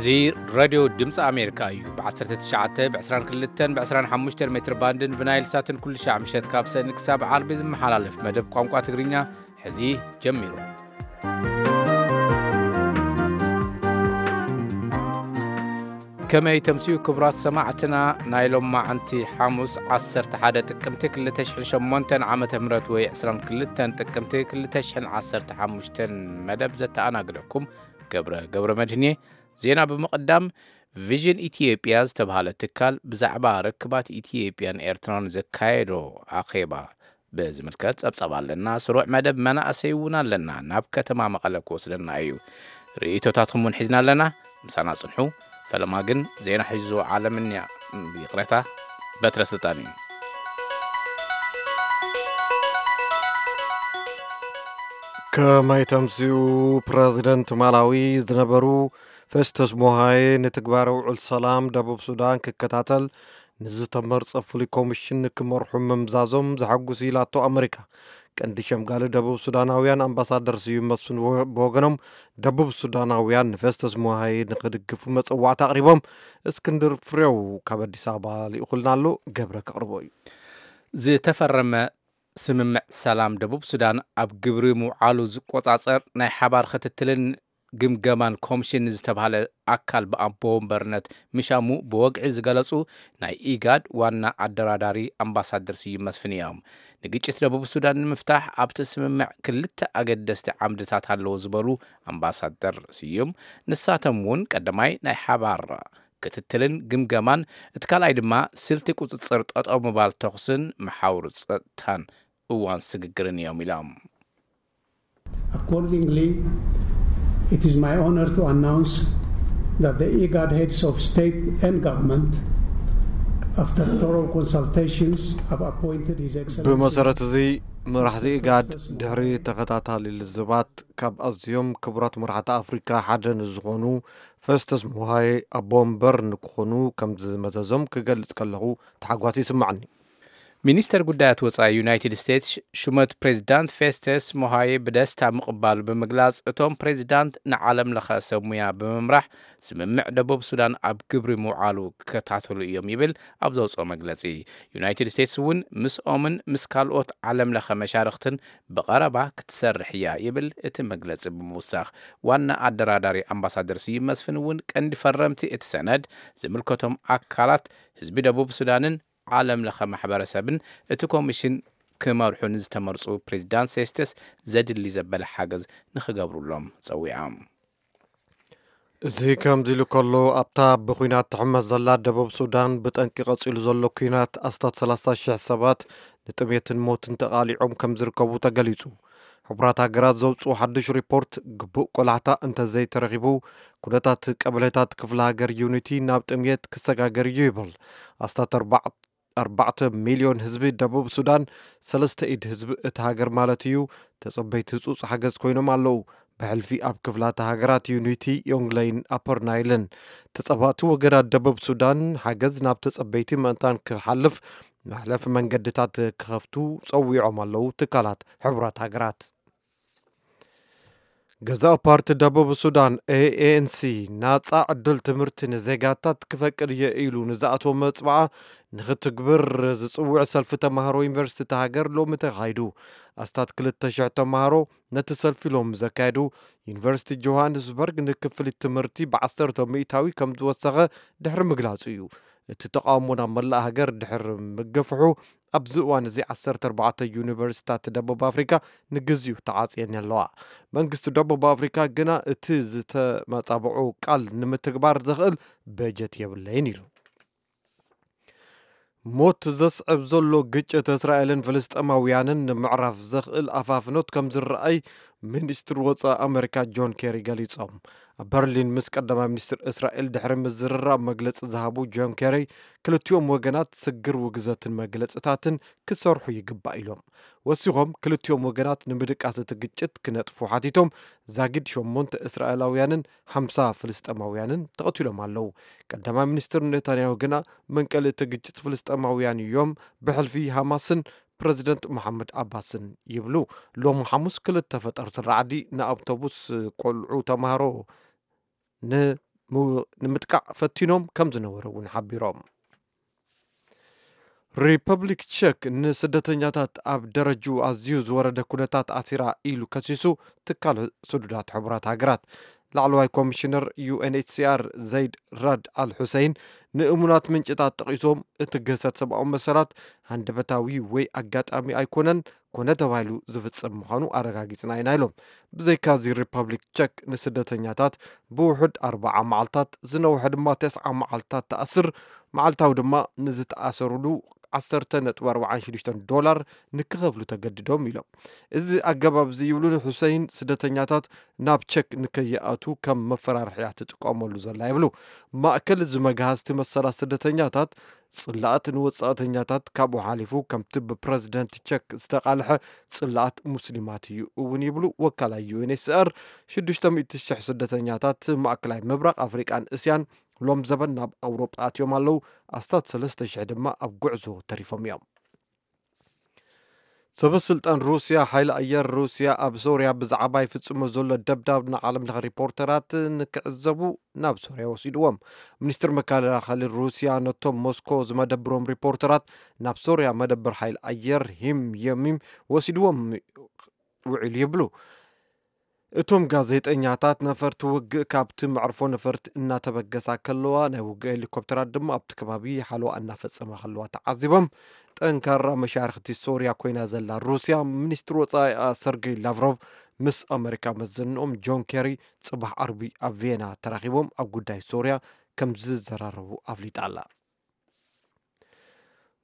እዚ ሬድዮ ድምፂ ኣሜሪካ እዩ። ብ19፣ ብ22፣ ብ25 ሜትር ባንድን ብናይል ሳትን ኩሉ ሻዕ ምሸት ካብ ሰኒ ክሳብ ዓርቢ ዝመሓላለፍ መደብ ቋንቋ ትግርኛ ሕዚ ጀሚሩ። ከመይ ተምስዩ ክቡራት ሰማዕትና፣ ናይ ሎማዓንቲ ሓሙስ 11 ጥቅምቲ 2008 ዓመተ ምህረት ወይ 22 ጥቅምቲ 2015 መደብ ዘተኣናግደኩም ገብረ ገብረ መድህን እየ። ዜና ብምቕዳም፣ ቪዥን ኢትዮጵያ ዝተብሃለ ትካል ብዛዕባ ርክባት ኢትዮጵያን ኤርትራን ዘካየዶ ኣኼባ ብዝምልከት ጸብጻብ ኣለና። ስሩዕ መደብ መናእሰይ እውን ኣለና። ናብ ከተማ መቐለ ክወስደና እዩ። ርእይቶታትኩም እውን ሒዝና ኣለና። ምሳና ጽንሑ። ፈለማ ግን ዜና ሒዙ ዓለምንያ፣ ይቕሬታ፣ በትረ ስልጣን እዩ። ከመይ ተምስዩ፣ ፕረዚደንት ማላዊ ዝነበሩ ፌስተስ ሞሃዬ ንትግባረ ውዕል ሰላም ደቡብ ሱዳን ክከታተል ንዝተመርጸ ፍሉይ ኮሚሽን ክመርሑ ምምዛዞም ዘሐጉስ ኢላቶ ኣመሪካ። ቀንዲ ሸምጋሊ ደቡብ ሱዳናውያን ኣምባሳደር ስዩም መስፍን ብወ-፣ ብወገኖም ደቡብ ሱዳናውያን ንፌስተስ ሞሃዬ ንክድግፉ መጸዋዕታ ኣቕሪቦም። እስክንድር ፍሬው ካብ ኣዲስ ኣበባ ልኢኹልና ኣሎ፣ ገብረ ከቕርቦ እዩ። ዝተፈረመ ስምምዕ ሰላም ደቡብ ሱዳን ኣብ ግብሪ ምውዓሉ ዝቆጻጸር ናይ ሓባር ክትትልን ግምገማን ኮሚሽን ዝተባህለ ኣካል ብኣቦ ወንበርነት ምሻሙ ብወግዒ ዝገለጹ ናይ ኢጋድ ዋና ኣደራዳሪ ኣምባሳደር ስዩም መስፍን እዮም። ንግጭት ደቡብ ሱዳን ንምፍታሕ ኣብቲ ስምምዕ ክልተ ኣገደስቲ ዓምድታት ኣለዎ ዝበሉ ኣምባሳደር ስዩም፣ ንሳቶም እውን ቀዳማይ ናይ ሓባር ክትትልን ግምገማን፣ እቲ ካልኣይ ድማ ስልቲ ቁጽጽር ጠጠው ምባል ተኹስን መሓውር ጸጥታን እዋን ስግግርን እዮም ኢሎም። Accordingly, it is my honor to announce that the IGAD heads of state and government, after thorough consultations, have appointed His Excellency ብመሰረት እዚ፣ መራሕቲ ኢጋድ ድሕሪ ተኸታታሊ ልዝባት ካብ ኣዝዮም ክቡራት መራሕቲ ኣፍሪካ ሓደ ንዝኾኑ ፈስተስ ሞሃይ ኣቦ ወንበር ንክኾኑ ከም ዝመዘዞም ክገልጽ ከለኹ ተሓጓስ ይስምዓኒ። ሚኒስተር ጉዳያት ወጻኢ ዩናይትድ ስቴትስ ሹመት ፕሬዚዳንት ፌስተስ ሞሃዬ ብደስታ ምቕባሉ ብምግላጽ፣ እቶም ፕሬዚዳንት ንዓለም ለኸ ሰብ ሙያ ብምምራሕ ስምምዕ ደቡብ ሱዳን ኣብ ግብሪ ምውዓሉ ክከታተሉ እዮም ይብል ኣብ ዘውፅኦ መግለጺ። ዩናይትድ ስቴትስ እውን ምስኦምን ምስ ካልኦት ዓለም ለኸ መሻርኽትን ብቐረባ ክትሰርሕ እያ ይብል እቲ መግለጺ ብምውሳኽ። ዋና ኣደራዳሪ ኣምባሳደር ስዩም መስፍን እውን ቀንዲ ፈረምቲ እቲ ሰነድ ዝምልከቶም ኣካላት ህዝቢ ደቡብ ሱዳንን ዓለም ለኸ ማሕበረሰብን እቲ ኮሚሽን ክመርሑ ንዝተመርፁ ፕሬዚዳንት ሴስተስ ዘድሊ ዘበለ ሓገዝ ንክገብሩሎም ፀዊዖም። እዚ ከምዚ ኢሉ ከሎ ኣብታ ብኲናት ትሕመስ ዘላ ደቡብ ሱዳን ብጠንቂ ቀፂሉ ዘሎ ኲናት ኣስታት 30 ሺሕ ሰባት ንጥሜትን ሞትን ተቓሊዖም ከም ዝርከቡ ተገሊፁ። ሕቡራት ሃገራት ዘውፅኡ ሓድሽ ሪፖርት ግቡእ ቆላሕታ እንተዘይተረኺቡ ኩነታት ቀበሌታት ክፍለ ሃገር ዩኒቲ ናብ ጥምየት ክሰጋገር እዩ ይብል። ኣስታት ኣርባዕተ ሚልዮን ህዝቢ ደቡብ ሱዳን ሰለስተ ኢድ ህዝቢ እቲ ሃገር ማለት እዩ ተጸበይቲ ህጹጽ ሓገዝ ኮይኖም ኣለዉ። ብሕልፊ ኣብ ክፍላተ ሃገራት ዩኒቲ፣ ዮንግለይን ኣፐር ናይልን ተጸባእቲ ወገናት ደቡብ ሱዳን ሓገዝ ናብ ተጸበይቲ ምእንታን ክሓልፍ መሕለፊ መንገድታት ክኸፍቱ ጸዊዖም ኣለዉ ትካላት ሕቡራት ሃገራት። ገዛኢ ፓርቲ ደቡብ ሱዳን ኤኤንሲ ናጻ ዕድል ትምህርቲ ንዜጋታት ክፈቅድ እየ ኢሉ ንዝኣተወ መጽብዓ ንክትግብር ዝጽውዕ ሰልፊ ተማሃሮ ዩኒቨርሲቲ እታ ሃገር ሎሚ ተኻይዱ። ኣስታት ክልተ ሽሕ ተማሃሮ ነቲ ሰልፊ ሎሚ ዘካየዱ ዩኒቨርሲቲ ጆሃንስበርግ ንክፍሊት ትምህርቲ ብዓሰርተ ሚእታዊ ከም ዝወሰኸ ድሕሪ ምግላጹ እዩ። እቲ ተቓውሞ ናብ መላእ ሃገር ድሕሪ ምግፍሑ ኣብዚ እዋን እዚ ዓሰርተ ኣርባዕተ ዩኒቨርሲታት ደቡብ ኣፍሪካ ንግዚኡ ተዓፅየን ኣለዋ። መንግስቲ ደቡብ ኣፍሪካ ግና እቲ ዝተመፃብዑ ቃል ንምትግባር ዘኽእል በጀት የብለይን ኢሉ። ሞት ዘስዕብ ዘሎ ግጭት እስራኤልን ፍልስጤማውያንን ንምዕራፍ ዘኽእል ኣፋፍኖት ከም ዝረኣይ ሚኒስትር ወፃኢ ኣሜሪካ ጆን ኬሪ ገሊፆም። ኣብ በርሊን ምስ ቀዳማይ ሚኒስትር እስራኤል ድሕሪ ምዝርራብ መግለፂ ዝሃቡ ጆን ኬሪ ክልቲኦም ወገናት ስግር ውግዘትን መግለፅታትን ክሰርሑ ይግባእ ኢሎም። ወሲኾም ክልቲኦም ወገናት ንምድቃስ እቲ ግጭት ክነጥፉ ሓቲቶም ዛጊድ ሸሞንተ እስራኤላውያንን ሓምሳ ፍልስጤማውያንን ተቐቲሎም ኣለዉ። ቀዳማይ ሚኒስትር ኔታንያሁ ግና መንቀሊ እቲ ግጭት ፍልስጤማውያን እዮም፣ ብሕልፊ ሃማስን ፕረዚደንት መሓመድ ኣባስን ይብሉ። ሎሚ ሓሙስ ክልተ ፈጠርቲ ራዕዲ ንኣውቶቡስ ቆልዑ ተምሃሮ ን ንምጥቃዕ ፈቲኖም ከም ዝነበሩ እውን ሓቢሮም። ሪፐብሊክ ቸክ ንስደተኛታት ኣብ ደረጅኡ ኣዝዩ ዝወረደ ኩነታት ኣሲራ ኢሉ ከሲሱ ትካል ስዱዳት ሕቡራት ሃገራት። ላዕለዋይ ኮሚሽነር ዩ ኤን ኤች ሲ ኣር ዘይድ ራድ ኣል ሑሰይን ንእሙናት ምንጭታት ጠቒሶም፣ እቲ ግህሰት ሰብኣዊ መሰላት ሃንደበታዊ ወይ ኣጋጣሚ ኣይኮነን፣ ኮነ ተባሂሉ ዝፍጸም ምዃኑ ኣረጋጊጽና ኢና ኢሎም። ብዘይካዚ ሪፐብሊክ ቸክ ንስደተኛታት ብውሑድ ኣርባዓ መዓልታት፣ ዝነውሐ ድማ ተስዓ መዓልታት ትኣስር፣ መዓልታዊ ድማ ንዝተኣሰሩሉ ዓሰርተ ነጥቢ ኣርባዓን ሽዱሽተን ዶላር ንክኸፍሉ ተገድዶም ኢሎም። እዚ ኣገባብ እዚ ይብሉ ንሑሰይን፣ ስደተኛታት ናብ ቸክ ንከይኣቱ ከም መፈራርሕያ ትጥቀመሉ ዘላ ይብሉ። ማእከል እዚ መግሃዝቲ መሰላት ስደተኛታት ጽላኣት ንወጻእተኛታት ካብኡ ሓሊፉ ከምቲ ብፕረዚደንት ቸክ ዝተቓልሐ ጽላኣት ሙስሊማት እዩ እውን ይብሉ ወካላይ ዩ ኤን ኤች ሲ ኣር። ሽዱሽተ ሚእቲ ሽሕ ስደተኛታት ማእከላይ ምብራቕ ኣፍሪቃን እስያን ሎም ዘበን ናብ ኣውሮጳ ኣትዮም ኣለዉ። ኣስታት ሰለስተ ሽሕ ድማ ኣብ ጉዕዞ ተሪፎም እዮም። ሰበ ስልጣን ሩስያ፣ ሓይሊ ኣየር ሩስያ ኣብ ሶርያ ብዛዕባ ይፍጽሞ ዘሎ ደብዳብ ንዓለም ለኸ ሪፖርተራት ንክዕዘቡ ናብ ሶርያ ወሲድዎም። ሚኒስትር መከላኸሊ ሩስያ ነቶም ሞስኮ ዝመደብሮም ሪፖርተራት ናብ ሶርያ መደብር ሓይሊ ኣየር ሂም የሚም ወሲድዎም ውዒሉ ይብሉ። እቶም ጋዜጠኛታት ነፈርቲ ውግእ ካብቲ መዕርፎ ነፈርቲ እናተበገሳ ከለዋ፣ ናይ ውግእ ሄሊኮፕተራት ድማ ኣብቲ ከባቢ ሓለዋ እናፈጸማ ከለዋ ተዓዚቦም። ጠንካራ መሻርኽቲ ሶርያ ኮይና ዘላ ሩስያ፣ ሚኒስትር ወጻኢኣ ሰርጌይ ላቭሮቭ ምስ ኣመሪካ መዘንኦም ጆን ኬሪ ጽባሕ ዓርቢ ኣብ ቪየና ተራኺቦም ኣብ ጉዳይ ሶርያ ከም ዝዘራረቡ ኣፍሊጣ ኣላ።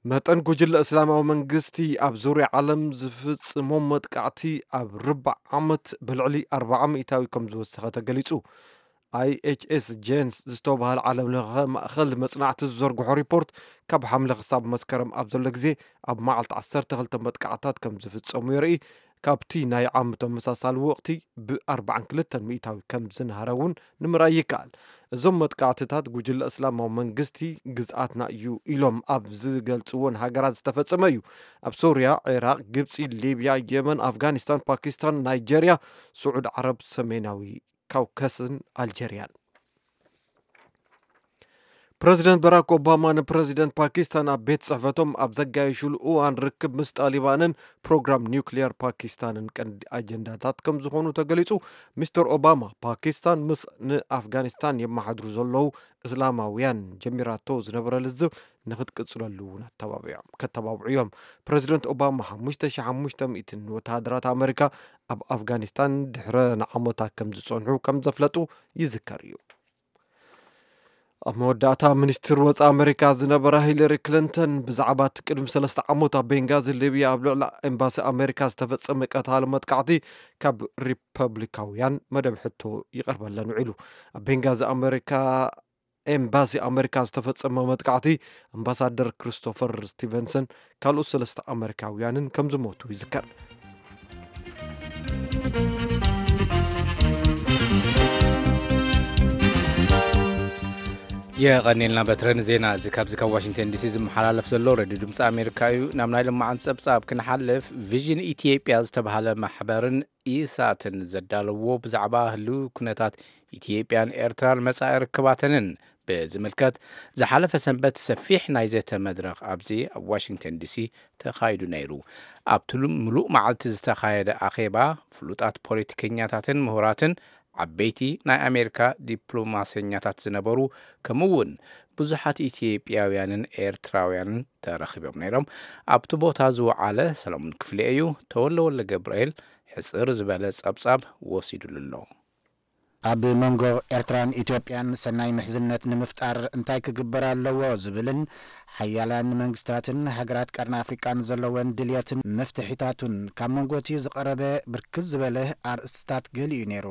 መጠን ጉጅለ እስላማዊ መንግስቲ ኣብ ዙርያ ዓለም ዝፍጽሞም መጥቃዕቲ ኣብ ርባዕ ዓመት ብልዕሊ ኣርባዓ ሚእታዊ ከም ዝወሰኸ ተገሊጹ። ኣይ ኤች ኤስ ጄንስ ዝተባህለ ዓለም ለኸ ማእኸል መጽናዕቲ ዝዘርግሖ ሪፖርት፣ ካብ ሓምለ ክሳብ መስከረም ኣብ ዘሎ ግዜ ኣብ መዓልቲ ዓሰርተ ክልተ መጥቃዕታት ከም ዝፍጸሙ የርኢ። ካብቲ ናይ ዓም ተመሳሳሊ ወቕቲ ብኣርባዓን ክልተን ሚእታዊ ከም ዝንሃረ እውን ንምርኣይ ይከኣል። እዞም መጥቃዕትታት ጉጅለ እስላማዊ መንግስቲ ግዝኣትና እዩ ኢሎም ኣብ ዝገልጽዎን ሃገራት ዝተፈጸመ እዩ። ኣብ ሶርያ፣ ዒራቕ፣ ግብጺ፣ ሊብያ፣ የመን፣ ኣፍጋኒስታን፣ ፓኪስታን፣ ናይጀርያ፣ ስዑድ ዓረብ፣ ሰሜናዊ ካውከስን ኣልጀርያን። ፕረዚደንት በራክ ኦባማ ንፕረዚደንት ፓኪስታን ኣብ ቤት ጽሕፈቶም ኣብ ዘጋየሹሉ እዋን፣ ርክብ ምስ ጣሊባንን ፕሮግራም ኒውክሊየር ፓኪስታንን ቀንዲ ኣጀንዳታት ከም ዝኾኑ ተገሊጹ። ሚስተር ኦባማ፣ ፓኪስታን ምስ ንኣፍጋኒስታን የመሓድሩ ዘለዉ እስላማውያን ጀሚራቶ ዝነበረ ልዝብ ንክትቅጽለሉ እውን ኣተባቢዖም፣ ከተባብዑ እዮም። ፕረዚደንት ኦባማ ሓሙሽተ ሺሕ ሓሙሽተ ሚእትን ወተሃደራት ኣመሪካ ኣብ ኣፍጋኒስታን ድሕረ ንዓመታት ከም ዝጸንሑ ከም ዘፍለጡ ይዝከር እዩ። ኣብ መወዳእታ፣ ሚኒስትር ወጻኢ ኣመሪካ ዝነበራ ሂለሪ ክሊንተን ብዛዕባ እቲ ቅድሚ ሰለስተ ዓመት ኣብ ቤንጋዚ ሊብያ ኣብ ልዕሊ ኤምባሲ ኣመሪካ ዝተፈጸመ ቀታሊ መጥቃዕቲ ካብ ሪፐብሊካውያን መደብ ሕቶ ይቐርበለን ውዒሉ። ኣብ ቤንጋዚ ኣመሪካ ኤምባሲ ኣመሪካ ዝተፈጸመ መጥቃዕቲ፣ ኣምባሳደር ክሪስቶፈር ስቲቨንሰን ካልኦት ሰለስተ ኣመሪካውያንን ከም ዝሞቱ ይዝከር። የቐኔልና በትረን ዜና እዚ ካብዚ ካብ ዋሽንግተን ዲሲ ዝመሓላለፍ ዘሎ ሬድዮ ድምፂ ኣሜሪካ እዩ። ናብ ናይ ልማዓን ፀብፃብ ክንሓልፍ፣ ቪዥን ኢትዮጵያ ዝተባሃለ ማሕበርን ኢሳትን ዘዳለዎ ብዛዕባ ህልው ኩነታት ኢትዮጵያን ኤርትራን መጻኢ ርክባተንን ብዝምልከት ዝሓለፈ ሰንበት ሰፊሕ ናይ ዘተ መድረኽ ኣብዚ ኣብ ዋሽንግተን ዲሲ ተኻይዱ ነይሩ። ኣብቲ ሉ-፣ ምሉእ መዓልቲ ዝተኻየደ ኣኼባ፣ ፍሉጣት ፖለቲከኛታትን ምሁራትን፣ ዓበይቲ ናይ ኣሜሪካ ዲፕሎማሰኛታት ዝነበሩ፣ ከምኡ እውን ብዙሓት ኢትዮጵያውያንን ኤርትራውያንን ተረኺቦም ነይሮም። ኣብቲ ቦታ ዝወዓለ ሰለሙን ክፍሌ እዩ። ተወለ ወልደ ገብርኤል ሕጽር ዝበለ ጸብጻብ ወሲዱሉ ኣሎ። ኣብ መንጎ ኤርትራን ኢትዮጵያን ሰናይ ምሕዝነት ንምፍጣር እንታይ ክግበር ኣለዎ ዝብልን ሓያላን መንግስታትን ሃገራት ቀርኒ ኣፍሪቃን ዘለወን ድልየትን መፍትሒታቱን ካብ መንጎ እቲ ዝቐረበ ብርክት ዝበለ ኣርእስትታት ገሊኡ ነይሩ።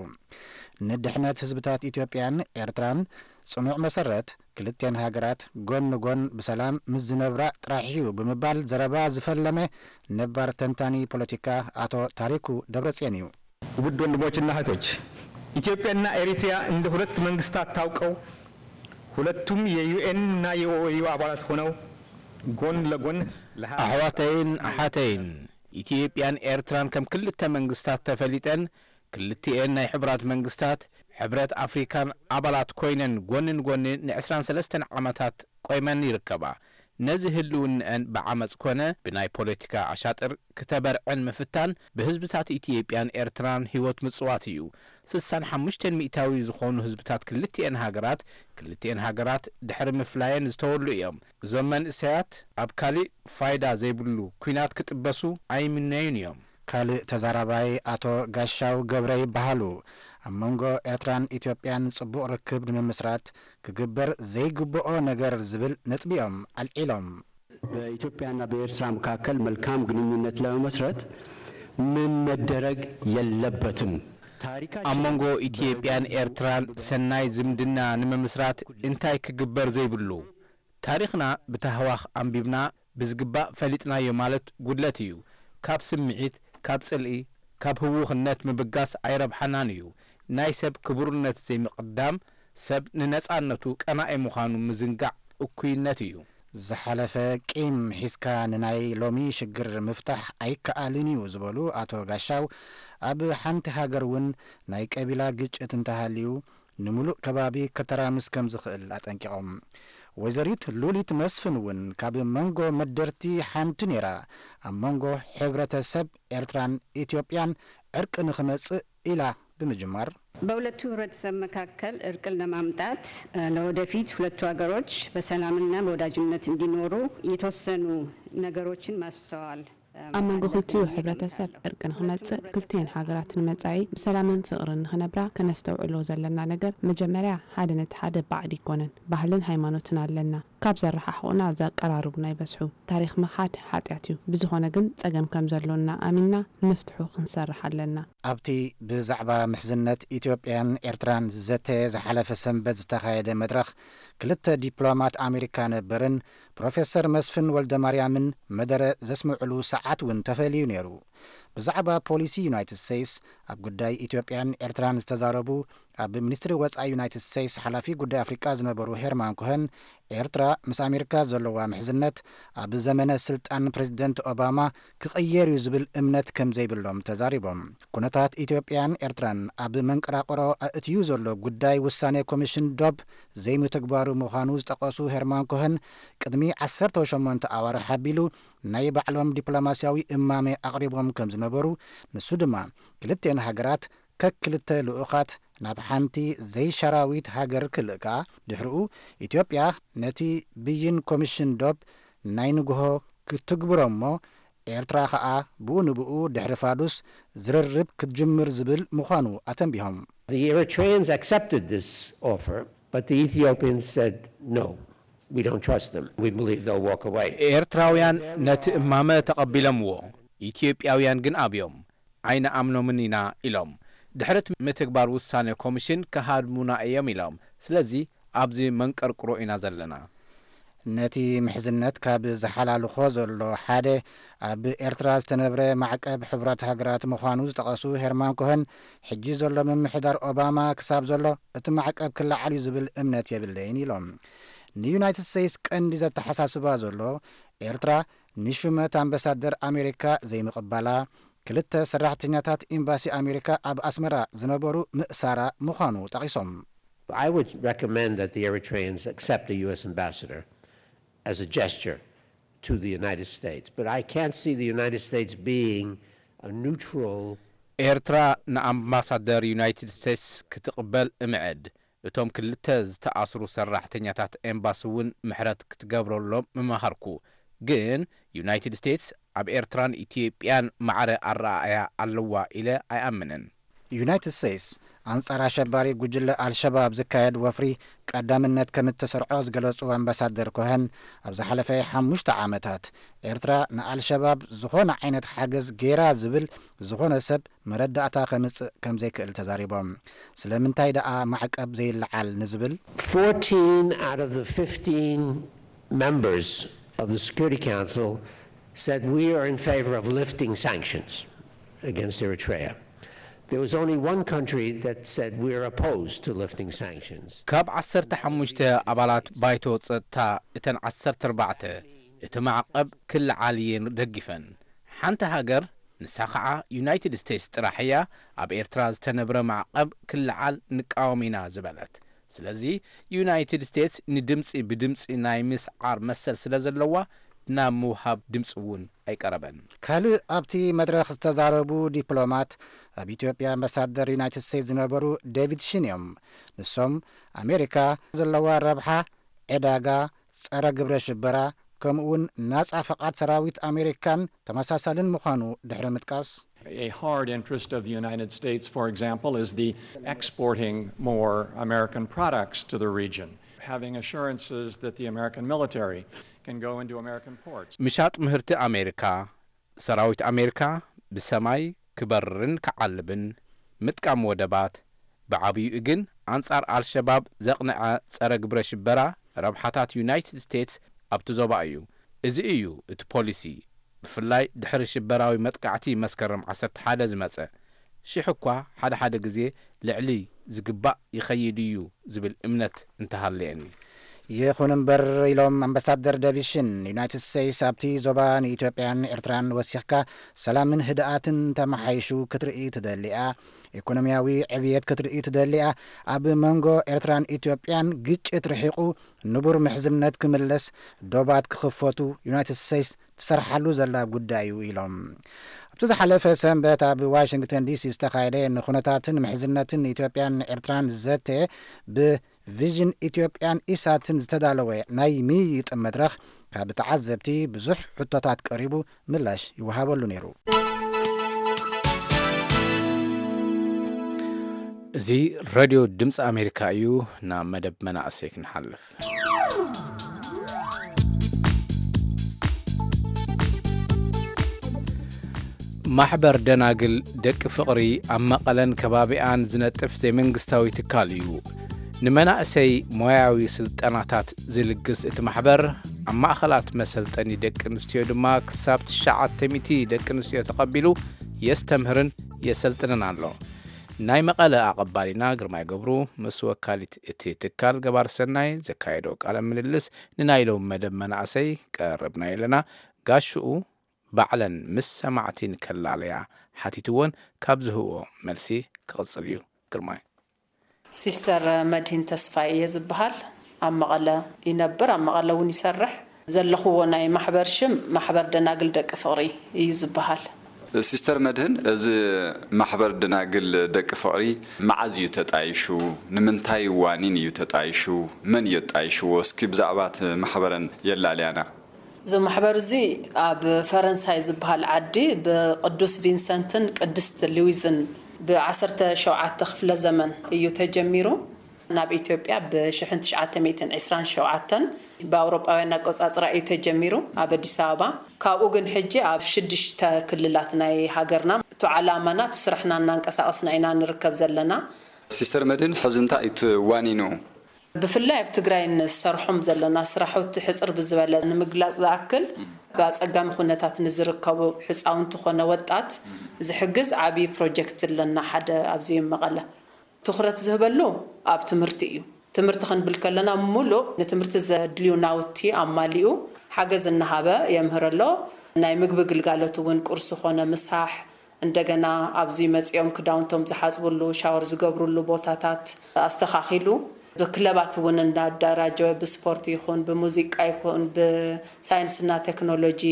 ንድሕነት ህዝብታት ኢትዮጵያን ኤርትራን ጽኑዕ መሰረት፣ ክልቴን ሃገራት ጎን ንጎን ብሰላም ምስ ዝነብራ ጥራሕ እዩ ብምባል ዘረባ ዝፈለመ ነባር ተንታኒ ፖለቲካ ኣቶ ታሪኩ ደብረጽዮን እዩ። ውድ ወንድሞችና እህቶች፣ ኢትዮጵያና ኤሪትሪያ እንደ ሁለት መንግስታት ታውቀው፣ ሁለቱም የዩኤን እና የኦኤዩ አባላት ሆነው ጎን ለጎን ለሀ- ኣሕዋተይን ኣሓተይን፣ ኢትዮጵያን ኤርትራን ከም ክልተ መንግስታት ተፈሊጠን፣ ክልቲኤን ናይ ሕቡራት መንግስታት ሕብረት ኣፍሪካን ኣባላት ኮይነን ጎኒ ንጎኒ ን23 ዓመታት ቆይመን ይርከባ። ነዚ ህልውንአን ብዓመፅ ኮነ ብናይ ፖለቲካ ኣሻጥር ክተበርዕን ምፍታን ብህዝብታት ኢትዮጵያን ኤርትራን ህይወት ምጽዋት እዩ። 65% ዝኾኑ ህዝብታት ክልቲኤን ሃገራት፣ ክልቲኤን ሃገራት ድሕሪ ምፍላየን ዝተወሉ እዮም። እዞም መንእሰያት ኣብ ካሊእ ፋይዳ ዘይብሉ ኲናት ክጥበሱ ኣይምነዩን እዮም። ካልእ ተዛራባይ ኣቶ ጋሻው ገብረ ይበሃሉ። ኣብ መንጎ ኤርትራን ኢትዮጵያን ጽቡቕ ርክብ ንምምስራት ክግበር ዘይግብኦ ነገር ዝብል ነጥቢ እዮም ኣልዒሎም። በኢትዮጵያና በኤርትራ መካከል መልካም ግንኙነት ለመመስረት ምን መደረግ የለበትም። ታሪካችን ኣብ መንጎ ኢትዮጵያን ኤርትራን ሰናይ ዝምድና ንምምስራት እንታይ ክግበር ዘይብሉ? ታሪኽና ብታህዋኽ ኣንቢብና ብዝግባእ ፈሊጥናዮ ማለት ጉድለት እዩ። ካብ ስምዒት፣ ካብ ጽልኢ፣ ካብ ህውኽነት ምብጋስ ኣይረብሓናን እዩ። ናይ ሰብ ክቡርነት ዘይምቕዳም፣ ሰብ ንነጻነቱ ቀናኢ ምዃኑ ምዝንጋዕ እኩይነት እዩ። ዝሓለፈ ቂም ሒዝካ ንናይ ሎሚ ሽግር ምፍታሕ ኣይከኣልን እዩ ዝበሉ ኣቶ ጋሻው፣ ኣብ ሓንቲ ሃገር እውን ናይ ቀቢላ ግጭት እንተሃልዩ ንምሉእ ከባቢ ከተራምስ ከም ዝኽእል ኣጠንቂቖም። ወይዘሪት ሉሊት መስፍን እውን ካብ መንጎ መደርቲ ሓንቲ ነይራ፣ ኣብ መንጎ ሕብረተሰብ ኤርትራን ኢትዮጵያን ዕርቂ ንኽመጽእ ኢላ ብምጅማር፣ በሁለቱ ህብረተሰብ መካከል እርቅን ለማምጣት ለወደፊት ሁለቱ ሀገሮች በሰላምና በወዳጅነት እንዲኖሩ የተወሰኑ ነገሮችን ማስተዋል ኣብ መንጎ ክልቲኡ ሕብረተሰብ ዕርቂ ንኽመጽእ፣ ክልቲኤን ሃገራት ንመጻኢ ብሰላምን ፍቕርን ንኽነብራ ከነስተውዕሎ ዘለና ነገር፣ መጀመርያ ሓደ ነቲ ሓደ ባዕዲ ኣይኮነን፣ ባህልን ሃይማኖትን ኣለና። ካብ ዘረሓሕቑና ዘቀራርቡና ይበዝሑ። ታሪኽ ምኻድ ሓጢኣት እዩ። ብዝኾነ ግን ጸገም ከም ዘሎና ኣሚንና ንምፍትሑ ክንሰርሕ ኣለና። ኣብቲ ብዛዕባ ምሕዝነት ኢትዮጵያን ኤርትራን ዝዘተ ዝሓለፈ ሰንበት ዝተኻየደ መድረኽ፣ ክልተ ዲፕሎማት ኣሜሪካ ነበርን ፕሮፌሰር መስፍን ወልደማርያምን መደረ ዘስምዕሉ ሰዓት እውን ተፈልዩ ነይሩ። ብዛዕባ ፖሊሲ ዩናይትድ ስቴትስ ኣብ ጉዳይ ኢትዮጵያን ኤርትራን ዝተዛረቡ ኣብ ሚኒስትሪ ወጻኢ ዩናይትድ ስቴትስ ሓላፊ ጉዳይ ኣፍሪቃ ዝነበሩ ሄርማን ኮሀን፣ ኤርትራ ምስ ኣሜሪካ ዘለዋ ምሕዝነት ኣብ ዘመነ ስልጣን ፕሬዚደንት ኦባማ ክቕየር እዩ ዝብል እምነት ከም ዘይብሎም ተዛሪቦም። ኩነታት ኢትዮጵያን ኤርትራን ኣብ መንቀራቕሮ ኣእትዩ ዘሎ ጉዳይ ውሳኔ ኮሚሽን ዶብ ዘይምትግባሩ ምዃኑ ዝጠቐሱ ሄርማን ኮሀን፣ ቅድሚ ዓሰርተ ሸሞንተ ኣዋርሕ ኣቢሉ ናይ ባዕሎም ዲፕሎማስያዊ እማመ ኣቕሪቦም ከም ዝነበሩ፣ ንሱ ድማ ክልቴን ሃገራት ከክልተ ልኡኻት ናብ ሓንቲ ዘይሻራዊት ሃገር ክልእካ፣ ድሕሪኡ ኢትዮጵያ ነቲ ብይን ኮሚሽን ዶብ ናይ ንግሆ ክትግብሮ እሞ፣ ኤርትራ ኸኣ ብኡ ንብኡ ድሕሪ ፋዱስ ዝርርብ ክትጅምር ዝብል ምዃኑ ኣተንቢሆም። The Eritreans accepted this offer, but the Ethiopians said, "No, we don't trust them. We believe they'll walk away." ኤርትራውያን ነቲ እማመ ተቐቢሎምዎ፣ ኢትዮጵያውያን ግን ኣብዮም። ኣይንኣምኖምን ኢና ኢሎም። ድሕሪ እቲ ምትግባር ውሳነ ኮሚሽን ክሃድሙና እዮም ኢሎም። ስለዚ ኣብዚ መንቀርቅሮ ኢና ዘለና። ነቲ ምሕዝነት ካብ ዝሓላልኾ ዘሎ ሓደ ኣብ ኤርትራ ዝተነብረ ማዕቀብ ሕቡራት ሃገራት ምዃኑ ዝጠቐሱ ሄርማን ኮሀን፣ ሕጂ ዘሎ ምምሕዳር ኦባማ ክሳብ ዘሎ እቲ ማዕቀብ ክለዓል እዩ ዝብል እምነት የብለይን ኢሎም። ንዩናይትድ ስቴትስ ቀንዲ ዘተሓሳስባ ዘሎ ኤርትራ ንሹመት ኣምባሳደር ኣሜሪካ ዘይምቕባላ፣ ክልተ ሰራሕተኛታት ኤምባሲ ኣሜሪካ ኣብ ኣስመራ ዝነበሩ ምእሳራ ምዃኑ ጠቒሶም። I would recommend that the Eritreans accept a U S ambassador as a gesture to the United States, but I can't see the United States being a neutral ኤርትራ ንኣምባሳደር ዩናይትድ ስቴትስ ክትቕበል እምዕድ። እቶም ክልተ ዝተኣስሩ ሰራሕተኛታት ኤምባሲ እውን ምሕረት ክትገብረሎም ምመኸርኩ። ግን ዩናይትድ ስቴትስ ኣብ ኤርትራን ኢትዮጵያን ማዕረ ኣረኣእያ ኣለዋ ኢለ ኣይኣምንን። ዩናይትድ ስቴትስ ኣንጻር ኣሸባሪ ጉጅለ ኣልሸባብ ዝካየድ ወፍሪ ቀዳምነት ከም እተሰርዖ ዝገለጹ ኣምባሳደር ኮሀን፣ ኣብ ዝሓለፈ ሓሙሽተ ዓመታት ኤርትራ ንኣልሸባብ ዝኾነ ዓይነት ሓገዝ ገይራ ዝብል ዝኾነ ሰብ መረዳእታ ከምጽእ ከም ዘይክእል ተዛሪቦም። ስለምንታይ ደኣ ማዕቀብ ዘይለዓል ንዝብል፣ Fourteen out of the fifteen members of the Security Council said, "We are in favor of lifting sanctions against Eritrea." There was only one country that said, "We are opposed to lifting sanctions." ካብ ዓሰርተ ሓሙሽተ ኣባላት ባይቶ ጸጥታ፣ እተን ዓሰርተ ኣርባዕተ እቲ ማዕቐብ ክለዓል እየን ደጊፈን። ሓንቲ ሃገር ንሳ ኸዓ ዩናይትድ ስቴትስ ጥራሕ እያ ኣብ ኤርትራ ዝተነብረ ማዕቐብ ክለዓል ንቃወም ኢና ዝበለት። ስለዚ ዩናይትድ ስቴትስ ንድምፂ ብድምፂ ናይ ምስዓር መሰል ስለ ዘለዋ ናብ ምውሃብ ድምፂ እውን ኣይቀረበን። ካልእ ኣብቲ መድረኽ ዝተዛረቡ ዲፕሎማት ኣብ ኢትዮጵያ ኣምባሳደር ዩናይትድ ስቴትስ ዝነበሩ ዴቪድ ሽን እዮም። ንሶም ኣሜሪካ ዘለዋ ረብሓ፣ ዕዳጋ፣ ጸረ ግብረ ሽበራ ከምኡውን ናጻ ፈቓድ ሰራዊት ኣሜሪካን ተመሳሳልን ምዃኑ ድሕሪ ምጥቃስ፣ A hard interest of the United States, for example, is the exporting more American products to the region, having assurances that the American military can go into American ports. ምሻጥ ምህርቲ ኣሜሪካ፣ ሰራዊት ኣሜሪካ ብሰማይ ክበርርን ክዓልብን፣ ምጥቃም ወደባት፣ ብዓብዩኡ ግን ኣንጻር ኣልሸባብ ዘቕንዐ ጸረ ግብረ ሽበራ ረብሓታት ዩናይትድ ስቴትስ ኣብቲ ዞባ እዩ። እዚ እዩ እቲ ፖሊሲ፣ ብፍላይ ድሕሪ ሽበራዊ መጥቃዕቲ መስከረም ዓሰርተ ሓደ ዝመጸ። ሽሕ እኳ ሓደ ሓደ ግዜ ልዕሊ ዝግባእ ይኸይድ እዩ ዝብል እምነት እንተሃለየኒ። ይኹን እምበር ኢሎም ኣምባሳደር ዴቪድ ሽን፣ ዩናይትድ ስቴትስ ኣብቲ ዞባ ንኢትዮጵያን ኤርትራን ወሲኽካ ሰላምን ህድኣትን ተመሓይሹ ክትርኢ ትደሊያ፣ ኢኮኖሚያዊ ዕብየት ክትርኢ ትደሊያ፣ ኣብ መንጎ ኤርትራን ኢትዮጵያን ግጭት ርሒቑ ንቡር ምሕዝነት ክምለስ ዶባት ክኽፈቱ ዩናይትድ ስቴትስ ትሰርሓሉ ዘላ ጉዳይ እዩ ኢሎም። ኣብቲ ዝሓለፈ ሰንበት ኣብ ዋሽንግተን ዲሲ ዝተኻየደ ንኹነታትን ምሕዝነትን ኢትዮጵያን ኤርትራን ዘተ ብቪዥን ኢትዮጵያን ኢሳትን ዝተዳለወ ናይ ምይይጥ መድረኽ ካብ ተዓዘብቲ ብዙሕ ሕቶታት ቀሪቡ ምላሽ ይወሃበሉ ነይሩ። እዚ ሬድዮ ድምፂ ኣሜሪካ እዩ። ናብ መደብ መናእሰይ ክንሓልፍ። ማሕበር ደናግል ደቂ ፍቕሪ ኣብ መቐለን ከባቢኣን ዝነጥፍ ዘይመንግስታዊ ትካል እዩ። ንመናእሰይ ሞያዊ ስልጠናታት ዝልግስ እቲ ማሕበር፣ ኣብ ማእኸላት መሰልጠኒ ደቂ ኣንስትዮ ድማ ክሳብ ትሽዓተ ሚእቲ ደቂ ኣንስትዮ ተቐቢሉ የስተምህርን የሰልጥንን ኣሎ። ናይ መቐለ ኣቐባሊና ግርማይ ገብሩ ምስ ወካሊት እቲ ትካል ገባር ሰናይ ዘካየዶ ቃለ ምልልስ ንናይ ሎም መደብ መናእሰይ ቀረብናዮ ኣለና። ጋሽኡ ባዕለን ምስ ሰማዕቲን ከላለያ ሓቲትወን ካብ ዝህብኦ መልሲ ክቕጽል እዩ። ግርማይ። ሲስተር መድሂን ተስፋይ እየ ዝበሃል። ኣብ መቐለ ይነብር፣ ኣብ መቐለ እውን ይሰርሕ። ዘለኹዎ ናይ ማሕበር ሽም ማሕበር ደናግል ደቂ ፍቕሪ እዩ ዝበሃል። ሲስተር መድህን፣ እዚ ማሕበር ደናግል ደቂ ፍቕሪ መዓዝ እዩ ተጣይሹ? ንምንታይ ዋኒን እዩ ተጣይሹ? መን እዩ ኣጣይሽዎ? እስኪ ብዛዕባ እቲ ማሕበረን የላልያና። እዚ ማሕበር እዚ ኣብ ፈረንሳይ ዝበሃል ዓዲ ብቅዱስ ቪንሰንትን ቅድስት ሉዊዝን ብ ዓሰርተ ሸውዓተ ክፍለ ዘመን እዩ ተጀሚሩ። ናብ ኢትዮጵያ ብ ሽሕን ትሽዓተ ሚእትን ዕስራን ሸውዓተን፣ ብኣውሮጳውያን ኣቆጻጽራ እዩ ተጀሚሩ ኣብ ኣዲስ ኣበባ። ካብኡ ግን ሕጂ ኣብ ሽዱሽተ ክልላት ናይ ሃገርና፣ እቲ ዓላማና፣ እቲ ስራሕና እናንቀሳቐስና ኢና ንርከብ ዘለና። ሲስተር መድህን፣ ሕዚ እንታይ እዩ እቲ ዋኒኑ? ብፍላይ ኣብ ትግራይ ንሰርሖም ዘለና ስራሕቲ ሕጽር ብዝበለ ንምግላጽ ዝኣክል፣ ብኣጸጋሚ ኩነታት ንዝርከቡ ሕጻውንቲ ኮነ ወጣት ዝሕግዝ ዓብዪ ፕሮጀክት ኣለና፣ ሓደ ኣብዚ መቐለ። ትኹረት ዝህበሉ ኣብ ትምህርቲ እዩ። ትምህርቲ ክንብል ከለና፣ ምሉእ ንትምህርቲ ዘድልዩ ናውቲ ኣማሊኡ ሓገዝ እናሃበ የምህር ኣሎ። ናይ ምግቢ ግልጋሎት እውን፣ ቁርሲ ኮነ ምሳሕ፣ እንደገና ኣብዚ መጺኦም ክዳውንቶም ዝሓጽብሉ፣ ሻወር ዝገብርሉ ቦታታት ኣስተኻኺሉ፣ ብክለባት እውን እናዳራጀወ፣ ብስፖርት ይኹን፣ ብሙዚቃ ይኹን፣ ብሳይንስና ቴክኖሎጂ፣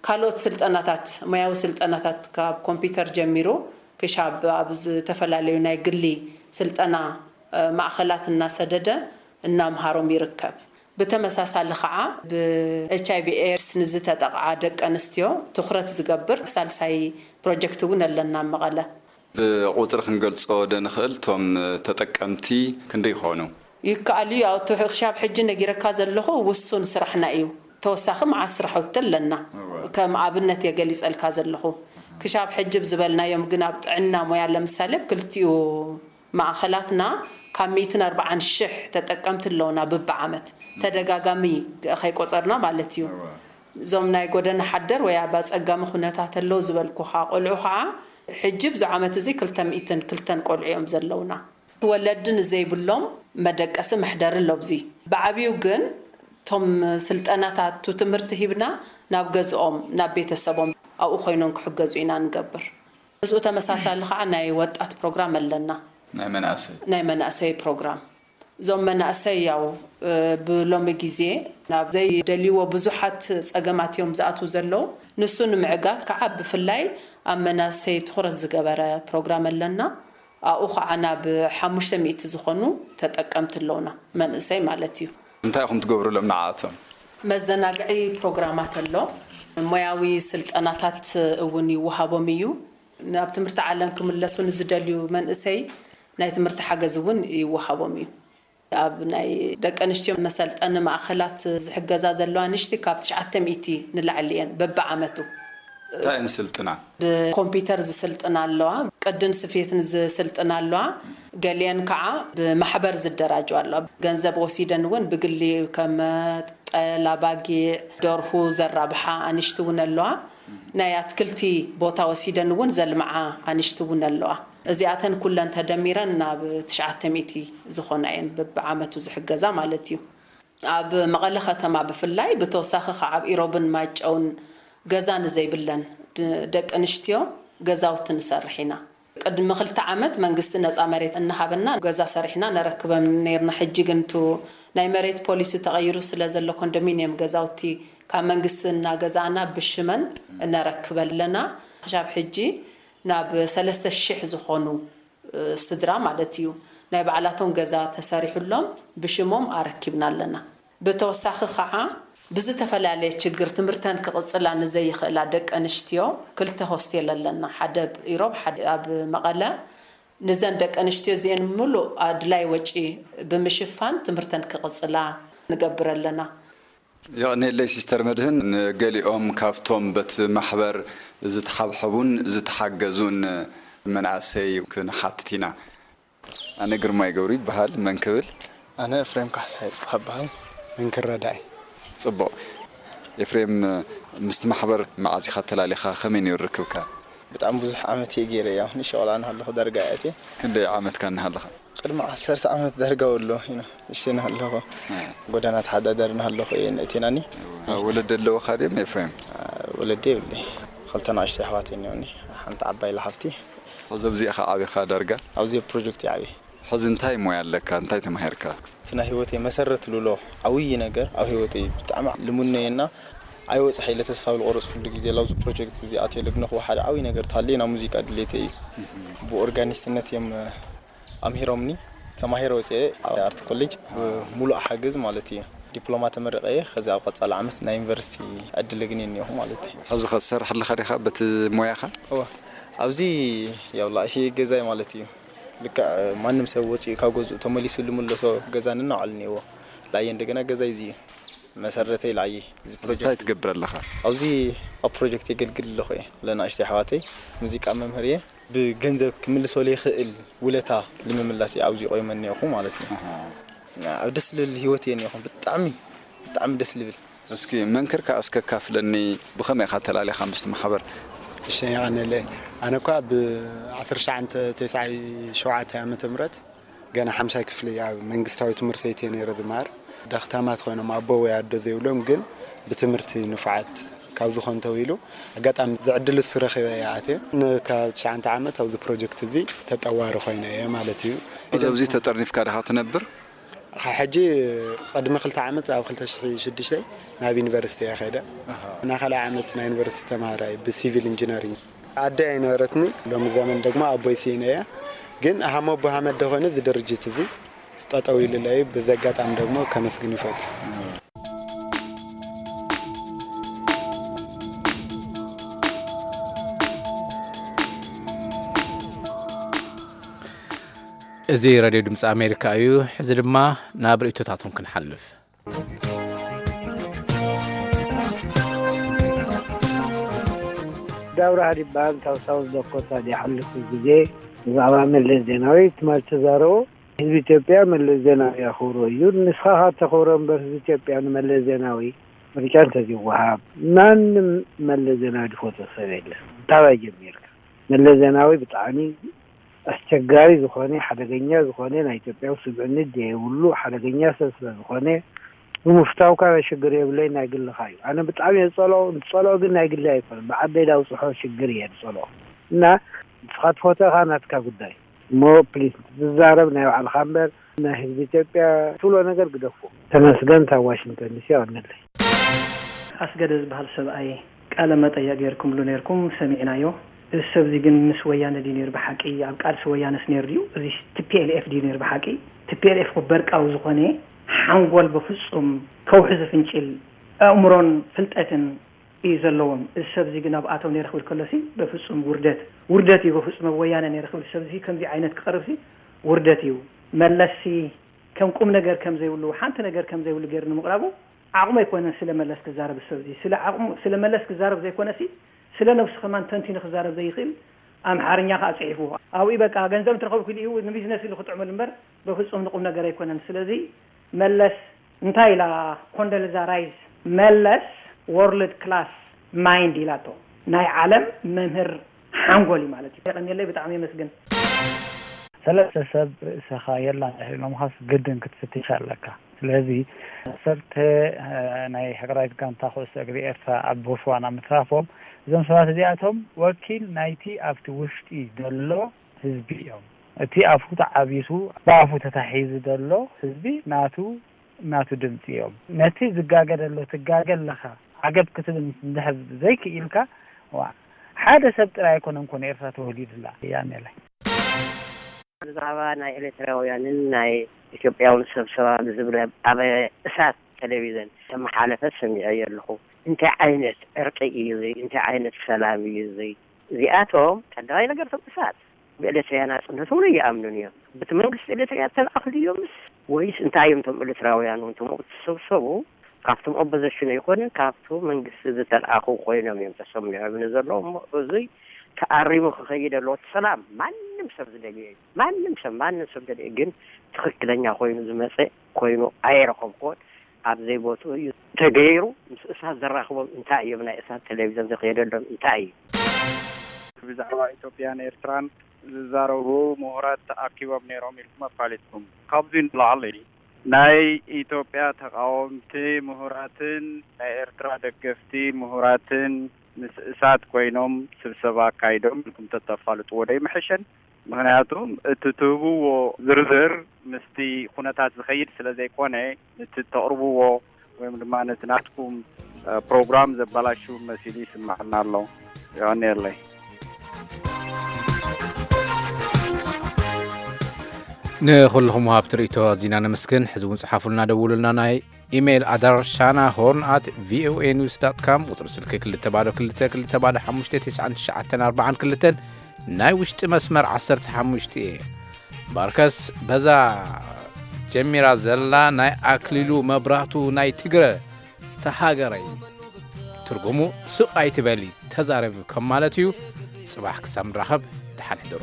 ካልኦት ስልጠናታት፣ ሞያዊ ስልጠናታት፣ ካብ ኮምፒውተር ጀሚሩ ክሻብ ኣብ ዝተፈላለዩ ናይ ግሊ ስልጠና፣ እ፣ ማእኸላት እናሰደደ እናምሃሮም ይርከብ። ብተመሳሳሊ ኸዓ፣ ብ ኤች ኣይ ቪ ኤድስ ንዝተጠቕዓ ደቂ ኣንስትዮ ትኹረት ዝገብር ሳልሳይ ፕሮጀክት እውን ኣለና ኣብ መቐለ። ብቁፅሪ ክንገልፆ ዶ ንኽእል? እቶም ተጠቀምቲ ክንደይ ይኾኑ? ይከኣል እዩ። ያው፣ እቲ ክሻብ ሕጂ ነጊረካ ዘለኹ ውሱን ስራሕና እዩ። ተወሳኺ መዓት ስራሕቲ ኣለና። እወ። ከም ኣብነት እየ ገሊፀልካ ዘለኹ። ክሻብ ሕጂ ብዝበልናዮም ግን፣ ኣብ ጥዕና ሞያ ለምሳሌ፣ ኣብ ክልቲኡ ማእኸላትና ካብ ሚእትን ኣርባዓን ሽሕ ተጠቀምቲ ኣለውና ብብዓመት፣ ተደጋጋሚ ከይቆፀርና ማለት እዩ። እወ። እዞም ናይ ጎደና ሓደር ወይ ኣብ ኣፀጋሚ ኩነታት ኣለዉ ዝበልኩኻ ቆልዑ ኸዓ፣ ሕጂ ኣብዚ ዓመት እዚ ክልተ ሚእትን ክልተን ቆልዑ እዮም ዘለውና። ወለዲ ንዘይብሎም መደቀሲ መሕደሪ ኣሎ። ኣብዚ ብዓብዩ ግን እቶም ስልጠናታት ትምህርቲ ሂብና ናብ ገዝኦም ናብ ቤተሰቦም ኣብኡ ኮይኖም ክሕገዙ ኢና ንገብር። ምስኡ ተመሳሳሊ ከዓ ናይ ወጣት ፕሮግራም ኣለና። ናይ መናእሰይ ናይ መናእሰይ ፕሮግራም። እዞም መናእሰይ ያው ብሎሚ ግዜ ናብ ዘይደልይዎ ብዙሓት ፀገማት እዮም ዝኣትዉ ዘለዉ። ንሱ ንምዕጋት ከዓ ብፍላይ ኣብ መናእሰይ ትኹረት ዝገበረ ፕሮግራም ኣለና። ኣብኡ ከዓ ናብ ሓሙሽተ ሚእቲ ዝኾኑ ተጠቀምቲ ኣለውና፣ መንእሰይ ማለት እዩ። እንታይ ኢኹም ትገብሩሎም ንዓኣቶም? መዘናግዒ ፕሮግራማት ኣሎ። ሞያዊ ስልጠናታት እውን ይወሃቦም እዩ። ናብ ትምህርቲ ዓለም ክምለሱ ንዝደልዩ መንእሰይ ናይ ትምህርቲ ሓገዝ እውን ይወሃቦም እዩ። ኣብ ናይ ደቂ ኣንስትዮ መሰልጠኒ ማእኸላት ዝሕገዛ ዘለዋ ንሽቲ ካብ ትሽዓተ ሚእቲ ንላዕሊ እየን በብዓመቱ። እንታይ እየን ዝስልጥና? ብኮምፒተር ዝስልጥና ኣለዋ፣ ቅድን ስፌትን ዝስልጥና ኣለዋ። ገሊአን ከዓ ብማሕበር ዝደራጀዋ ኣለዋ። ገንዘብ ወሲደን እውን ብግሊ ከም ጠል ኣባጊዕ፣ ደርሁ ዘራብሓ ኣንሽቲ እውን ኣለዋ። ናይ ኣትክልቲ ቦታ ወሲደን እውን ዘልምዓ ኣንሽቲ እውን ኣለዋ። እዚኣተን ኩለን ተደሚረን ናብ ትሽዓተ ሚእቲ ዝኾና እየን በብዓመቱ ዝሕገዛ ማለት እዩ። ኣብ መቐለ ከተማ ብፍላይ ብተወሳኺ ከዓ ኣብ ኢሮብን ማይጨውን ገዛ ንዘይብለን ደቂ ኣንስትዮ ገዛውቲ ንሰርሕ ኢና። ቅድሚ ክልተ ዓመት መንግስቲ ነፃ መሬት እናሃበና ገዛ ሰሪሕና ነረክበን ነይርና። ሕጂ ግን እቲ ናይ መሬት ፖሊሲ ተቐይሩ ስለ ዘሎ ኮንዶሚንየም ገዛውቲ ካብ መንግስቲ እናገዛእና ብሽመን እነረክብ ኣለና። ክሻብ ሕጂ ናብ ሰለስተ ሽሕ ዝኾኑ ስድራ ማለት እዩ ናይ ባዕላቶም ገዛ ተሰሪሑሎም ብሽሞም ኣረኪብና ኣለና። ብተወሳኺ ከዓ ብዝተፈላለየ ችግር ትምህርተን ክቕፅላ ንዘይኽእላ ደቂ ኣንስትዮ ክልተ ሆስቴል ኣለና፣ ሓደ ኣብ ኢሮብ ሓደ ኣብ መቐለ። ንዘን ደቂ ኣንስትዮ እዚአን ምሉእ ኣድላይ ወጪ ብምሽፋን ትምህርተን ክቕፅላ ንገብር ኣለና። የቐንየለይ ሲስተር መድህን። ንገሊኦም ካብቶም በቲ ማሕበር ዝተሓብሐቡን ዝተሓገዙን መናእሰይ ክንሓትት ኢና። ኣነ ግርማይ ገብሩ ይበሃል። መን ክብል? ኣነ ኤፍሬም ካሕሳይ ጽፋ ይበሃል። መንክር ረዳኢ። ጽቡቕ። ኤፍሬም፣ ምስቲ ማሕበር መዓዝ ኢኻ ተላሊኻ? ከመይ ነይሩ ርክብካ? ብጣዕሚ ብዙሕ ዓመት እየ ገይረ እያ። ንሸቕላ እናሃለኹ ዳርጋ እየ ኣትየ። ክንደይ ዓመትካ እናሃለኻ? ቅድሚ ዓሰርተ ዓመት ዳርጋ ወሎ ኢና ንእሽተይ እናሃለኹ ጎደና ተሓዳዳሪ እናሃለኹ እየ ነእቴናኒ። ወለዲ ኣለውኻ ድዮም ኤፍሬም? ወለዲ የብለይ። ክልተ ንኣሽቱ ኣሕዋት እኒኦኒ። ሓንቲ ዓባይ ኢላ ሓፍቲ። ኣብዚ ኣብዚኣ ኢኻ ዓቢኻ ዳርጋ? ኣብዚ ኣብ ፕሮጀክት እየ ዓብየ። ሕዚ እንታይ ሞያ ኣለካ? እንታይ ተማሂርካ? እቲ ናይ ህይወተይ መሰረት ልብሎ ዓብዪ ነገር ኣብ ህይወተይ ብጣዕሚ ልሙነየና ኣይወፅሐ ኢለ ተስፋ ዝቆረፅኩሉ ግዜ ኣብዚ ፕሮጀክት እዚ ኣትየ ልግነኽዎ ሓደ ዓብዪ ነገር ተሃልየ ናብ ሙዚቃ ድሌተይ እዩ። ብኦርጋኒስትነት እዮም ኣምሂሮምኒ። ተማሂረ ወፅየ ኣብ ኣርት ኮሌጅ ብሙሉእ ሓገዝ ማለት እዩ። ዲፕሎማ ተመሪቐ እየ። ከዚ ኣብ ቀፃሊ ዓመት ናይ ዩኒቨርሲቲ ዕድል እግኒ እኒኦኹ ማለት እዩ። ሕዚ ኸ ትሰርሕ ኣለኻ ዲኻ በቲ ሞያኻ? እወ። ኣብዚ ያው ላእሺ ገዛይ ማለት እዩ። ልክዕ ማንም ሰብ ወፂኡ ካብ ገዝኡ ተመሊሱ ልምለሶ ገዛ ንናዓሉ እኒኦዎ። ላየ እንደገና ገዛይ እዚ እዩ። መሰረተይ ላየ እዚ እንታይ ፕሮጀክት። ትገብር ኣለኻ? ኣብዚ ኣብ ፕሮጀክት የገልግል ኣለኹ እየ። ለናእሽተይ ኣሕዋተይ ሙዚቃ መምህር እየ። ብገንዘብ ክምልሶ ለይኽእል ውለታ ንምምላስ እየ ኣብዚ ቆይመ እኒኦኹ ማለት እዩ። ኣብ ደስ ልብል ህይወት እየ እኒኦኹ። ብጣዕሚ ብጣዕሚ ደስ ልብል። እስኪ መንክር ከኣ እስከ ካፍለኒ ብኸመይ ኢኻ ተላሊኻ ምስቲ ማሕበር? እሺ የቐንየለይ። ኣነ እኳ ብ ዓሰርተ ትሽዓተ ተስዓይ ሸውዓተ ዓመተ ምህረት ገና ሓምሻይ ክፍሊ ኣብ መንግስታዊ ትምህርቲ ቤት እየ ነይረ ዝመሃር። ዳኽታማት ኮይኖም ኣቦ ወይ ኣዶ ዘይብሎም ግን ብትምህርቲ ንፉዓት ካብ ዝኾኑ ተባሂሉ ኣጋጣሚ እዚ ዕድል እሱ ረኺበ እየ ኣትየ። ን ካብ ትሽዓተ ዓመት ኣብዚ ፕሮጀክት እዚ ተጠዋሪ ኮይነ እየ ማለት እዩ። ኣብዚ ተጠርኒፍካ ዲኻ ትነብር? ሕጂ ቅድሚ ክልተ ዓመት ኣብ ክልተ ሽሕን ሽዱሽተን ናብ ዩኒቨርሲቲ እየ ከይደ። ናይ ካልኣይ ዓመት ናይ ዩኒቨርሲቲ ተምሃራይ ብሲቪል ኢንጂነሪንግ። ኣደይ ኣይነበረትኒ፣ ሎሚ ዘመን ደግሞ ኣቦይ ስኢነ እየ። ግን ሃሞ ኣቦ ሃመደ ኮይኑ እዚ ድርጅት እዚ ጠጠው ኢሉለይ እዩ። በዚ ኣጋጣሚ ደግሞ ከመስግን ይፈቱ። እዚ ሬድዮ ድምፂ ኣሜሪካ እዩ። ሕዚ ድማ ናብ ርእይቶታቶም ክንሓልፍ። ዳውራ ሃዲባን ካብ ሳውዝ ዳኮታ ድሓለፈ ግዜ ብዛዕባ መለስ ዜናዊ ትማል ተዛረቦ። ህዝቢ ኢትዮጵያ መለስ ዜናዊ የኽብሮ እዩ። ንስኻ ኸዓ ተኽብሮ እምበር ህዝቢ ኢትዮጵያ ንመለስ ዜናዊ ምርጫ እንተዝወሃብ ማንም መለስ ዜናዊ ዝፈትዎ ሰብ የለን። ካባይ ጀሚርካ መለስ ዜናዊ ብጣዕሚ ኣስቸጋሪ ዝኾነ ሓደገኛ ዝኾነ ናይ ኢትዮጵያዊ ስምዕነት ዘይብሉ ሓደገኛ ሰብ ስለ ዝኾነ ብምፍታውካ ናይ ሽግር የብለይ፣ ናይ ግልኻ እዩ። ኣነ ብጣዕሚ እየ ዝጸልኦ፣ ዝጸልኦ ግን ናይ ግለይ ኣይኮነን፣ ብዓደይ ዳውጽሖ ሽግር እየ ዝጸልኦ። እና ንስኻ ትፈትኻ ናትካ ጉዳይ እሞ ፕሊስ ትዛረብ ናይ ባዕልኻ እምበር ናይ ህዝቢ ኢትዮጵያ ትብሎ ነገር ግደፎ። ተመስገን ካብ ዋሽንግተን ዲሲ። ኣቐንለይ። ኣስገደ ዝበሃል ሰብኣይ ቃለ መጠየቅ ገይርኩምሉ ነይርኩም፣ ሰሚዕናዮ። እዚ ሰብዚ ግን ምስ ወያነ ድዩ ነይሩ ብሓቂ? ኣብ ቃልሲ ወያነስ ነይሩ ድዩ? እዚ ቲ ፒ ኤል ኤፍ ድዩ ነይሩ ብሓቂ? ቲ ፒ ኤል ኤፍ እኮ በርቃዊ ዝኾነ ሓንጎል በፍጹም ከውሒ ዝፍንጭል ኣእምሮን ፍልጠትን እዩ ዘለዎም። እዚ ሰብዚ ግን ኣብ ኣተው ነይረ ክብል ከሎሲ በፍጹም ውርደት፣ ውርደት እዩ በፍጹም። ኣብ ወያነ ነይረ ክብል ሰብዚ ከምዚ ዓይነት ክቐርብሲ ውርደት እዩ። መለስሲ ከም ቁም ነገር ከም ዘይብሉ፣ ሓንቲ ነገር ከም ዘይብሉ ገይሩ ንምቕራቡ ዓቕሙ ኣይኮነን ስለ መለስ ክዛረብ። እዚ ሰብዚ ስለ ዓቕሙ፣ ስለ መለስ ክዛረብ ዘይኮነሲ ስለ ነብሱ ከማን ተንቲኑ ክዛረብ ዘይኽእል ኣምሓርኛ ከዓ ጽሒፉ ኣብኡ በቃ ገንዘብ እንትረኸብኩ ኢሉ እዩ ንቢዝነስ ኢሉ ክጥዕመሉ እምበር በፍጹም ንቁም ነገር ኣይኮነን። ስለዚ መለስ እንታይ ኢላ ኮንደልዛ ራይስ መለስ ወርልድ ክላስ ማይንድ ኢላቶ ናይ ዓለም መምህር ሓንጎል እዩ ማለት እዩ። የቐንየለይ ብጣዕሚ የመስግን። ሰለስተ ሰብ ርእስኻ የላን ኢሎምኻስ ግድን ክትፍትሽ ኣለካ። ስለዚ ዓሰርተ ናይ ሃገራዊት ጋንታ ኩዕሶ እግሪ ኤርትራ ኣብ ቦትስዋና ምትራፎም እዞም ሰባት እዚኣቶም ወኪል ናይቲ ኣብቲ ውሽጢ ዘሎ ህዝቢ እዮም። እቲ ኣፉ ተዓቢሱ ብኣፉ ተታሒዙ ዘሎ ህዝቢ ናቱ ናቱ ድምፂ እዮም። ነቲ ዝጋገ ዘሎ ትጋገ ኣለኻ ዓገብ ክትብል እንድሕር ዘይክኢልካ ዋ ሓደ ሰብ ጥራይ ኣይኮነን ኮነ ኤርትራ ተወሊዱላ ያኔ ላይ ብዛዕባ ናይ ኤርትራውያንን ናይ ኢትዮጵያውን ሰብ ሰባ ዝብል ኣብ እሳት ቴሌቪዘን ተመሓለፈ ሰሚዐዮ ኣለኹ። እንታይ ዓይነት ዕርቂ እዩ እዚ? እንታይ ዓይነት ሰላም እዩ እዚ? እዚኣቶም ቀዳማይ ነገር እቶም እሳት ብኤርትራውያን ናጽነት እውን ኣይኣምኑን እዮም። በቲ መንግስቲ ኤርትራ ተላእኹ ድዮምስ ወይስ እንታይ እዮም እቶም ኤርትራውያን እውን እቶም ኣብኡ ዝተሰብሰቡ ካብቶም ኦፖዘሽን ኣይኮኑን ካብቲ መንግስቲ ዝተላእኹ ኮይኖም እዮም ተሰሚዖምኒ ዘለዉ እሞ እዙይ ተኣሪሙ ክኸይድ ኣለዎ። እቲ ሰላም ማንም ሰብ ዝደልዮ እዩ። ማንም ሰብ ማንም ሰብ ደልዮ ግን ትኽክለኛ ኮይኑ ዝመፀ ኮይኑ ኣይረኸብኩዎን። ኣብ ዘይቦትኡ እዩ ተገይሩ። ምስ እሳት ዘራኽቦም እንታይ እዮም? ናይ እሳት ቴሌቪዘን ዝኸየደሎም እንታይ እዩ? ብዛዕባ ኢትዮጵያን ኤርትራን ዝዛረቡ ምሁራት ተኣኪቦም ነይሮም ኢልኩም ኣፋሊጥኩም። ካብዚ ንላዕሊ ናይ ኢትዮጵያ ተቓወምቲ ምሁራትን ናይ ኤርትራ ደገፍቲ ምሁራትን ምስ እሳት ኮይኖም ስብሰባ ኣካይዶም ኢልኩም ተተፋልጥዎ ዶ ይምሕሸን? ምኽንያቱ እቲ ትህብዎ ዝርዝር ምስቲ ኩነታት ዝኸይድ ስለ ዘይኮነ፣ ነቲ እተቕርብዎ ወይም ድማ ነቲ ናትኩም ፕሮግራም ዘበላሹ መሲሉ ይስምዓና ኣሎ። የቐንየለይ። ንኹልኹም ወሃብቲ ርእይቶ ኣዚና ነመስግን። ሕዚ እውን ጽሓፉልና፣ ደውሉልና። ናይ ኢሜይል ኣድራሻና ሆርን ኣት ቪኦኤ ኒውስ ዳት ካም፣ ቁጽሪ ስልኪ ክልተ ባዶ ክልተ ክልተ ባዶ ሓሙሽተ ትሽዓን ትሽዓተን ኣርባዓን ክልተን፣ ናይ ውሽጢ መስመር ዓሰርተ ሓሙሽተ እየ። ባርከስ በዛ ጀሚራ ዘላ ናይ ኣክሊሉ መብራቱ ናይ ትግረ ተሃገረይ ትርጉሙ ስቕ ኣይትበሊ ተዛረቢ ከም ማለት እዩ። ጽባሕ ክሳብ ንራኸብ ደሓን ሕደሩ።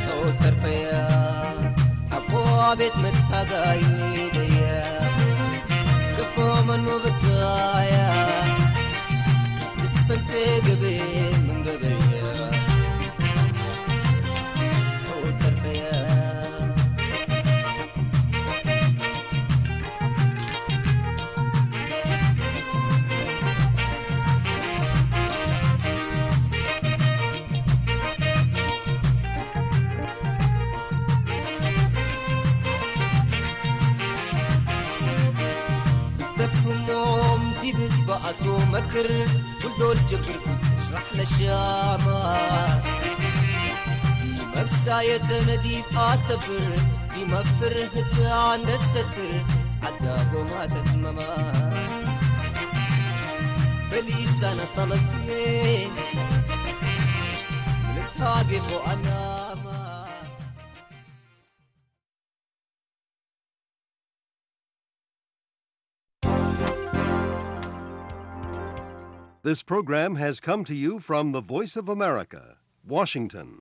ተወተርፈያ ኣቦ ቤት መታጋይ ደያ ክፎ መኑ ብታያ ክትፈንተ ገበ መንገበያ ተወተርፈያ تفهمهم دي بتبقى سو مكر كل دول جبر تشرح للشامة في مبساية نديب أصبر في مفر هتان الستر حتى قوما تتمما بليسان طلبي من الحاقب وأنا ما This program has come to you from the Voice of America, Washington.